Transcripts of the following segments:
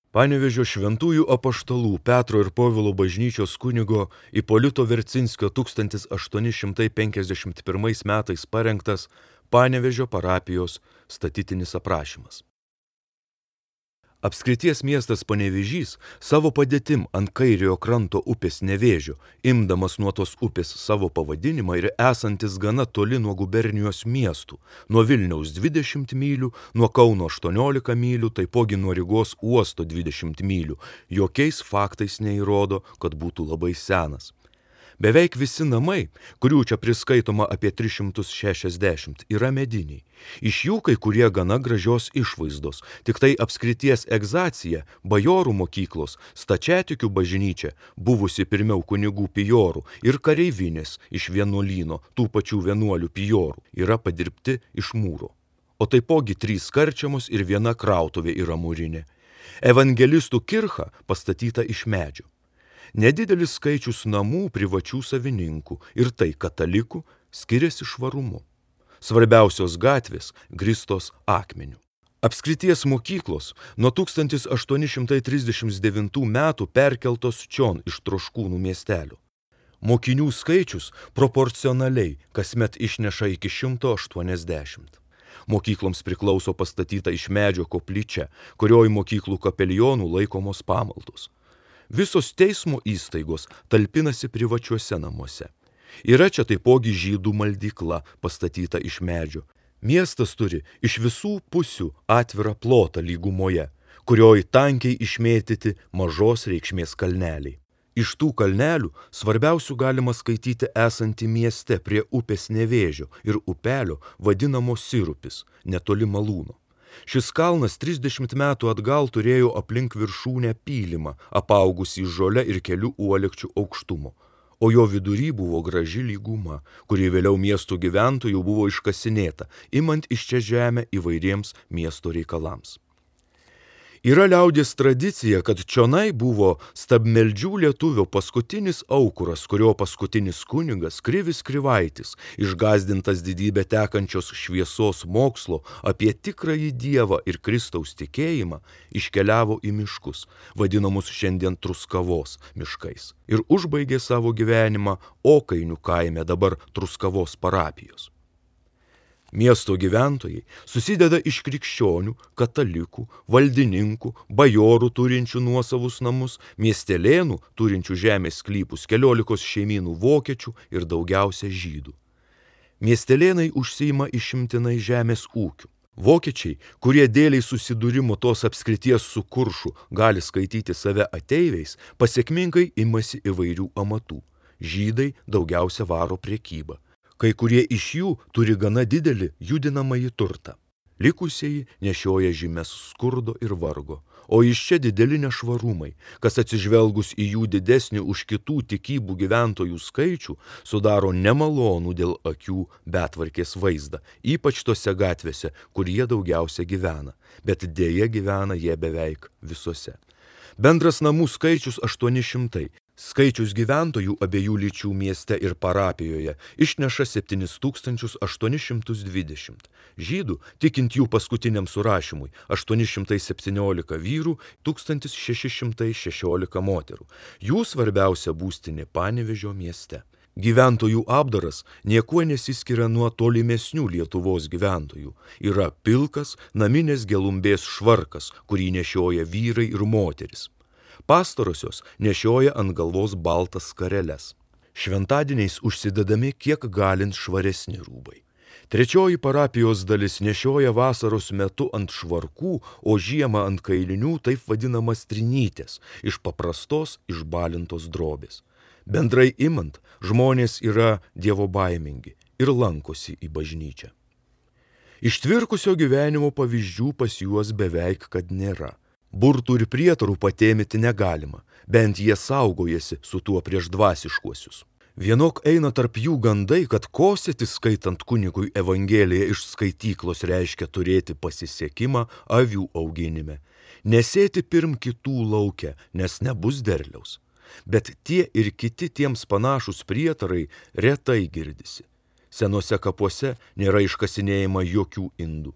Panevėžio šventųjų apaštalų Petro ir Povilo bažnyčios kunigo Ipolito Vercinskio 1851 metais parengtas Panevėžio parapijos statytinis aprašymas. Apskrities miestas Panevėžys savo padėtim ant kairiojo kranto upės Nevėžio, imdamas nuo tos upės savo pavadinimą ir esantis gana toli nuo gubernijos miestų, nuo Vilniaus 20 mylių, nuo Kauno 18 mylių, taipogi nuo Rygos uosto 20 mylių, jokiais faktais neįrodo, kad būtų labai senas. Beveik visi namai, kurių čia priskaitoma apie 360, yra mediniai. Iš jų kai kurie gana gražios išvaizdos, tik tai apskrities egzacija, bajorų mokyklos, stačiatikių bažnyčia, buvusi pirmiau kunigų pijorų ir kareivinės iš vienuolyno, tų pačių vienuolių pijorų, yra padirbti iš mūro. O taipogi 3 karčiamos ir 1 krautuvė yra mūrinė. Evangelistų kircha pastatyta iš medžio. Nedidelis skaičius namų privačių savininkų ir tai katalikų skiriasi švarumu. Svarbiausios gatvės grįstos akmeniu. Apskrities mokyklos nuo 1839 metų perkeltos čion iš Troškūnų miestelio. Mokinių skaičius proporcionaliai kasmet išneša iki 180. Mokykloms priklauso pastatyta iš medžio koplyčia, kurioj mokyklų kapelionų laikomos pamaldos. Visos teismo įstaigos talpinasi privačiuose namuose. Yra čia taipogi žydų maldykla pastatyta iš medžio. Miestas turi iš visų pusių atvirą plotą lygumoje, kurioj tankiai išmėtyti mažos reikšmės kalneliai. Iš tų kalnelių svarbiausių galima skaityti esantį mieste prie upės Nevėžio ir upelio vadinamo Sirupis, netoli Malūno. Šis kalnas 30 metų atgal turėjo aplink viršūnę pylimą, apaugusį žole ir kelių uolekčių aukštumo, o jo vidury buvo graži lyguma, kuri vėliau miestų gyventojų buvo iškasinėta, imant iš čia žemę įvairiems miesto reikalams. Yra liaudies tradicija, kad čionai buvo stabmeldžių lietuvio paskutinis aukuras, kurio paskutinis kunigas Krivis Krivaitis, išgąsdintas didybę tekančios šviesos mokslo apie tikrąjį Dievą ir Kristaus tikėjimą, iškeliavo į miškus, vadinamus šiandien Truskavos miškais, ir užbaigė savo gyvenimą Okainių kaime, dabar Truskavos parapijos. Miesto gyventojai susideda iš krikščionių, katalikų, valdininkų, bajorų turinčių nuosavus namus, miestelėnų turinčių žemės sklypus, 14 šeimynų vokiečių ir daugiausia žydų. Miestelėnai užsiima išimtinai žemės ūkiu. Vokiečiai, kurie dėliai susidūrimo tos apskrities su Kuršu gali skaityti save ateiviais, pasiekmingai imasi įvairių amatų. Žydai daugiausia varo prekybą. Kai kurie iš jų turi gana didelį judinamąjį turtą. Likusieji nešioja žymes skurdo ir vargo, o iš čia dideli nešvarumai, kas atsižvelgus į jų didesnį už kitų tikybų gyventojų skaičių, sudaro nemalonų dėl akių betvarkės vaizdą, ypač tose gatvėse, kur jie daugiausia gyvena, bet dėja gyvena jie beveik visose. Bendras namų skaičius 800. Skaičius gyventojų abiejų lyčių mieste ir parapijoje išneša 7820. Žydų, tikint jų paskutiniam surašymui, 817 vyrų, 1616 moterų. Jų svarbiausia būstinė Panevėžio mieste. Gyventojų apdaras niekuo nesiskiria nuo tolimesnių Lietuvos gyventojų. Yra pilkas naminės gelumbės švarkas, kurį nešioja vyrai ir moteris. Pastarosios nešioja ant galvos baltas skareles. Šventadieniais užsidedami kiek galint švaresni rūbai. Trečioji parapijos dalis nešioja vasaros metu ant švarkų, o žiemą ant kailinių taip vadinamas trinytės, iš paprastos išbalintos drobės. Bendrai imant, žmonės yra dievobaimingi ir lankosi į bažnyčią. Ištvirkusio gyvenimo pavyzdžių pas juos beveik kad nėra. Burtų ir prietarų patėmyti negalima, bent jie saugojasi su tuo prieš dvasiškuosius. Vienok eina tarp jų gandai, kad kosėti skaitant kunigui Evangeliją iš skaityklos reiškia turėti pasisekimą avių auginime. Nesėti pirm kitų lauke, nes nebus derliaus. Bet tie ir kiti tiems panašus prietarai retai girdisi. Senuose kapuose nėra iškasinėjama jokių indų.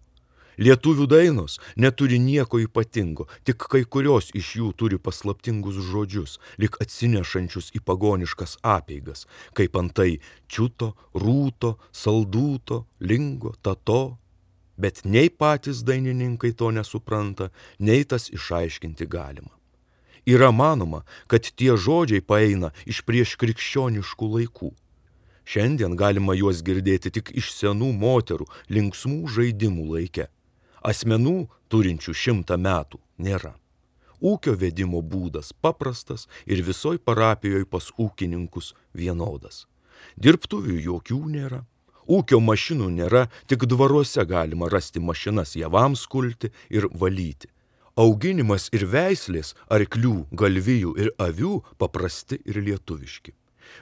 Lietuvių dainos neturi nieko ypatingo, tik kai kurios iš jų turi paslaptingus žodžius, lyg atsinešančius į pagoniškas apeigas, kaip antai čiuto, rūto, saldūto, lingo, tato. Bet nei patys dainininkai to nesupranta, nei tas išaiškinti galima. Yra manoma, kad tie žodžiai paeina iš prieškrikščioniškų laikų. Šiandien galima juos girdėti tik iš senų moterų linksmų žaidimų laike. Asmenų, turinčių 100 metų, nėra. Ūkio vedimo būdas paprastas ir visoj parapijoje pas ūkininkus vienodas. Dirbtuvių jokių nėra. Ūkio mašinų nėra, tik dvaruose galima rasti mašinas javams kulti ir valyti. Auginimas ir veislės, arklių, galvijų ir avių paprasti ir lietuviški.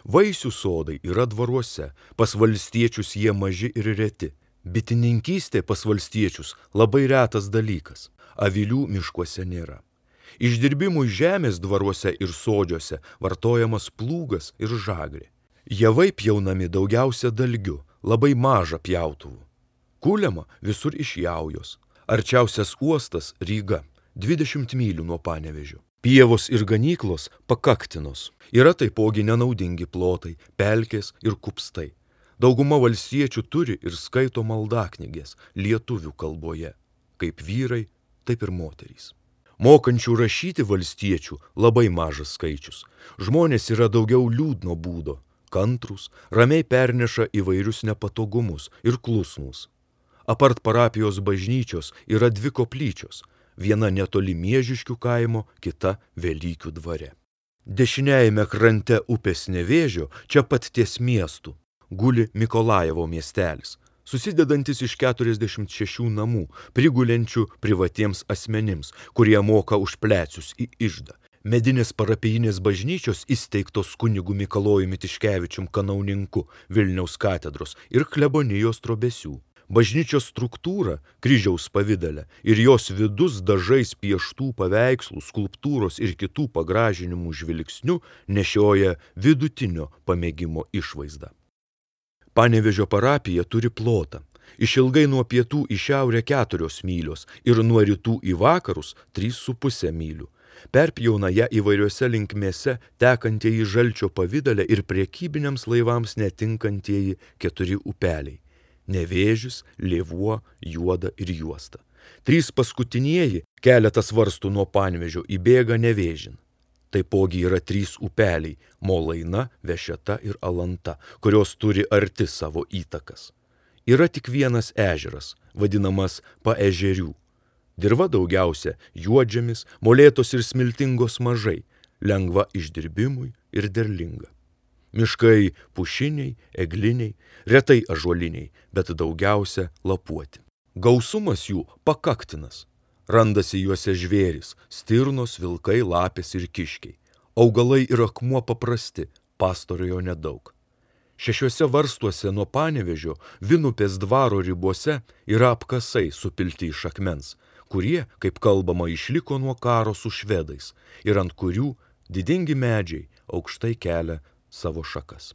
Vaisių sodai yra dvaruose, pas valstiečius jie maži ir reti. Bitininkystė pas valstiečius labai retas dalykas, avilių miškuose nėra. Išdirbimui žemės dvaruose ir sodžiuose vartojamas plūgas ir žagrė. Javai pjaunami daugiausia dalgiu, labai maža pjautuvų. Kuliama visur iš jaujos. Arčiausias uostas Ryga, 20 mylių nuo Panevėžio. Pievos ir ganyklos Pakaktinos. Yra taipogi nenaudingi plotai, pelkės ir kupstai. Dauguma valstiečių turi ir skaito maldaknygės lietuvių kalboje, kaip vyrai, taip ir moterys. Mokančių rašyti valstiečių labai mažas skaičius. Žmonės yra daugiau liūdno būdo, kantrūs, ramiai perneša įvairius nepatogumus ir klusnūs. Apart parapijos bažnyčios yra 2 koplyčios, viena netoli Miežiškių kaimo, kita Velykių dvare. Dešiniajame krante upės Nevėžio, čia pat ties miestu, guli Mikolajevo miestelis, susidedantis iš 46 namų, prigulenčių privatiems asmenims, kurie moka už plecius į iždą. Medinės parapijinės bažnyčios įsteigtos kunigu Mikalojumi Tiškevičium kanauninku Vilniaus katedros ir klebonijos trobesių. Bažnyčios struktūra kryžiaus pavidale ir jos vidus dažais pieštų paveikslų, skulptūros ir kitų pagražinimų žvilgsnių nešioja vidutinio pamėgimo išvaizdą. Panevėžio parapija turi plotą. Išilgai nuo pietų į šiaurę 4 mylios ir nuo rytų į vakarus 3,5 mylių. Perpjauna ją įvairiose linkmėse tekantieji žalčio pavidale ir prekybiniams laivams netinkantieji 4 upeliai – Nevėžis, Lėvuo, Juoda ir Juosta. 3 paskutinieji, keletas varstų nuo Panevėžio, įbėga Nevėžin. Taipogi yra 3 upeliai – Molaina, Vešeta ir Alanta, kurios turi arti savo įtakas. Yra tik vienas ežeras, vadinamas Paežerių. Dirva daugiausia juodžemis, molėtos ir smiltingos mažai, lengva išdirbimui ir derlinga. Miškai pušiniai, egliniai, retai ąžuoliniai, bet daugiausia lapuoti. Gausumas jų Pakaktinas. Randasi juose žvėrys, stirnos, vilkai, lapės ir kiškiai. Augalai ir akmuo paprasti, pastarojo nedaug. 6 varstuose nuo Panevėžio, Vinupės dvaro ribose yra apkasai supilti iš akmens, kurie, kaip kalbama, išliko nuo karo su švedais ir ant kurių didingi medžiai aukštai kelia savo šakas.